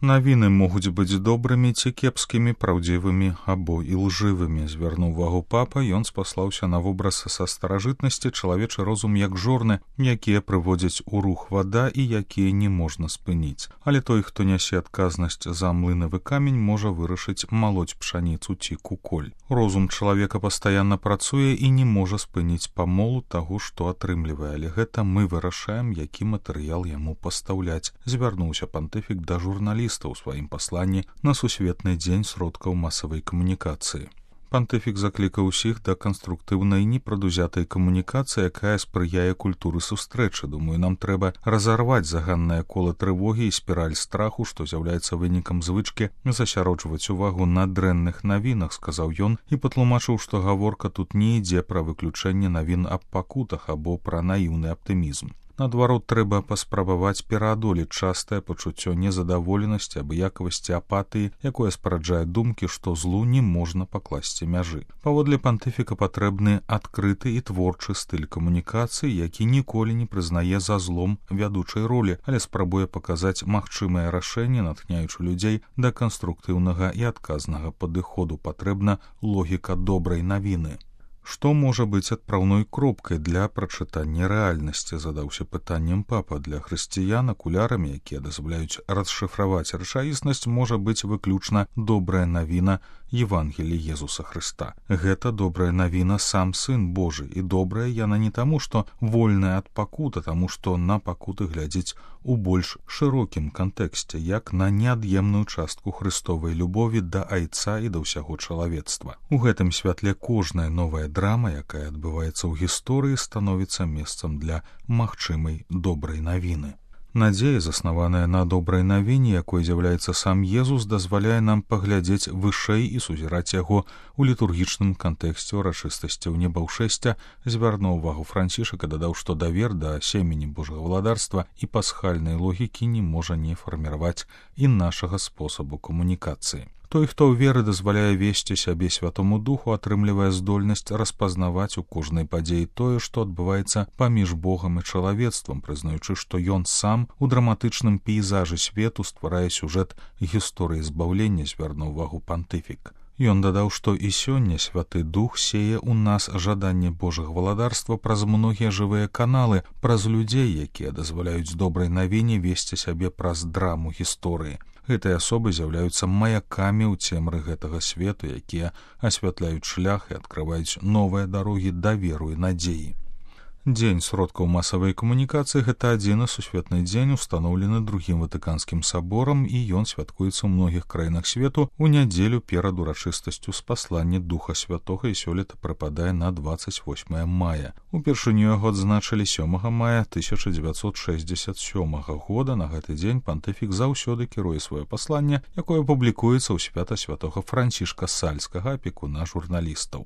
Навіны могуць быць добрымі ці кепскімі, праўдзівымі або ілжывымі. Звярнуў увагу папа, ён спаслаўся на вобраз са старажытнасці, чалавечы розум як жорны, якія прыводзяць у рух вада і якія не можна спыніць. Але той, хто нясе адказнасць за млынавы камень, можа вырашыць малоць пшаніцу ці куколь. Розум чалавека пастаянна працуе і не можа спыніць памолу таго, што атрымлівае, але гэта мы вырашаем, які матэрыял яму пастаўляць. Звярнуўся пантыфік да журналістаў у сваім пасланні на сусветны дзень сродкаў масавай камунікацыі. Пантыфік заклікаў усіх да канструктыўнай непрадузятай камунікацыі, якая спрыяе культуры сустрэчы. Думаю, нам трэба разарваць заганнае кола трывогі і спіраль страху, што з'яўляецца вынікам звычкі засяроджваць увагу на дрэнных навінах, сказаў ён і патлумачыў, што гаворка тут не ідзе пра выключэнне навін аб пакутах або пра наіўны аптымізм. Наадварот, трэба паспрабаваць пераадолець частае пачуццё незадаволенасці, абыякавасці, апатыі, якое спараджае думкі, што злу не можна пакласці мяжы. Паводле пантыфіка патрэбны адкрыты і творчы стыль камунікацыі, які ніколі не прызнае за злом вядучай ролі, але спрабуе паказаць магчымае рашэнне, натхняючы людзей да канструктыўнага і адказнага падыходу. Патрэбна логіка добрай навіны. Што можа быць адпраўной кропкай для прачытання рэальнасці, задаўся пытаннем папа. Для хрысціян акулярамі, якія дазваляюць расшыфраваць рэчаіснасць, можа быць выключна добрая навіна Евангелія Езуса Хрыста. Гэта добрая навіна сам Сын Божы, і добрая яна не таму, што вольная ад пакут, а таму, што на пакуты глядзіць у больш шырокім кантэксце, як на неад'емную частку хрыстовай любові да Айца і да ўсяго чалавецтва. У гэтым святле кожная новая драма, якая адбываецца ў гісторыі, становіцца месцам для магчымай добрай навіны. Надзея, заснаваная на добрай навіне, якой з'яўляецца сам Езус, дазваляе нам паглядзець вышэй і сузіраць яго ў літургічным кантэксце ўрачыстасцяў небаўшэсця. Звярнуў увагу Францішак і дадаў, што давер да семені Божага валадарства і пасхальнай логікі не можа не фарміраваць і нашага спосабу камунікацыі. Той, хто ў веры дазваляе весці сябе Святому Духу, атрымлівае здольнасць распазнаваць у кожнай падзеі тое, што адбываецца паміж Богам і чалавецтвам, прызнаючы, што ён сам у драматычным пейзажы свету стварае сюжэт гісторыі збаўлення, звярнуў увагу пантыфік. Ён дадаў, што і сёння Святы Дух сее ў нас жаданне Божага валадарства праз многія жывыя каналы, праз людзей, якія дазваляюць добрай навіне весці сябе праз драму гісторыі. Гэтыя асобы з'яўляюцца маякамі ў цемры гэтага свету, якія асвятляюць шлях і адкрываюць новыя дарогі даверу і надзеі. Дзень сродкаў масавай камунікацыі – гэта адзіны сусветны дзень, устаноўлены Другім Ватыканскім саборам, і ён святкуецца ў многіх краінах свету ў нядзелю перад урачыстасцю спаслання Духа Святога, і сёлета прыпадае на 28 мая. Упершыню яго адзначылі 7 мая 1967 года. На гэты дзень пантыфік заўсёды кіруе сваё пасланне, якое публікуецца ў свята святога Францішка Сальскага, апекуна журналістаў.